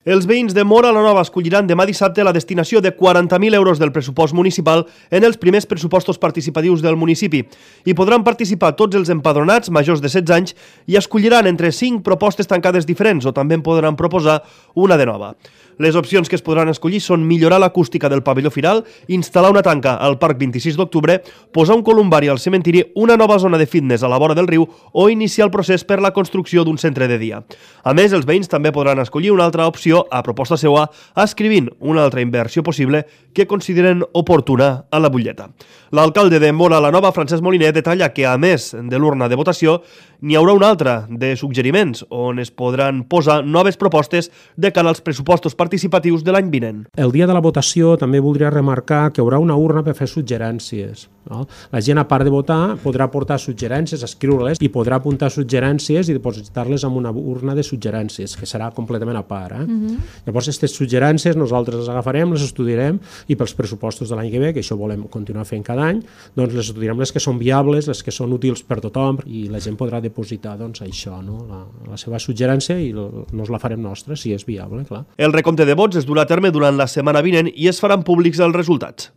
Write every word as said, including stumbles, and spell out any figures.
Els veïns de Móra la Nova escolliran demà dissabte la destinació de quaranta mil euros del pressupost municipal en els primers pressupostos participatius del municipi. Hi podran participar tots els empadronats majors de setze anys i escolliran entre cinc propostes tancades diferents o també en podran proposar una de nova. Les opcions que es podran escollir són millorar l'acústica del pavelló firal, instal·lar una tanca al Parc vint-i-sis d'octubre, posar un columbari al cementiri, una nova zona de fitness a la vora del riu o iniciar el procés per la construcció d'un centre de dia. A més, els veïns també podran escollir una altra opció a proposta seva, escrivint una altra inversió possible que consideren oportuna a la butlleta. L'alcalde de Móra la Nova, Francesc Moliner, detalla que, a més de l'urna de votació, n'hi haurà una altra de suggeriments, on es podran posar noves propostes de cara als pressupostos participatius de l'any vinent. El dia de la votació també voldria remarcar que hi haurà una urna per fer suggerències. No? La gent, a part de votar, podrà aportar suggerències, escriure-les i podrà apuntar suggerències i depositar-les en una urna de suggerències, que serà completament a part. Eh? Mm-hmm. Llavors, aquestes suggerències nosaltres les agafarem, les estudiarem i pels pressupostos de l'any que ve, que això volem continuar fent cada any, doncs les estudiarem les que són viables, les que són útils per tothom i la gent podrà depositar doncs, això, no? la, la seva suggerència i nos la farem nostra, si és viable, clar. El recompte de vots es durà a terme durant la setmana vinent i es faran públics els resultats.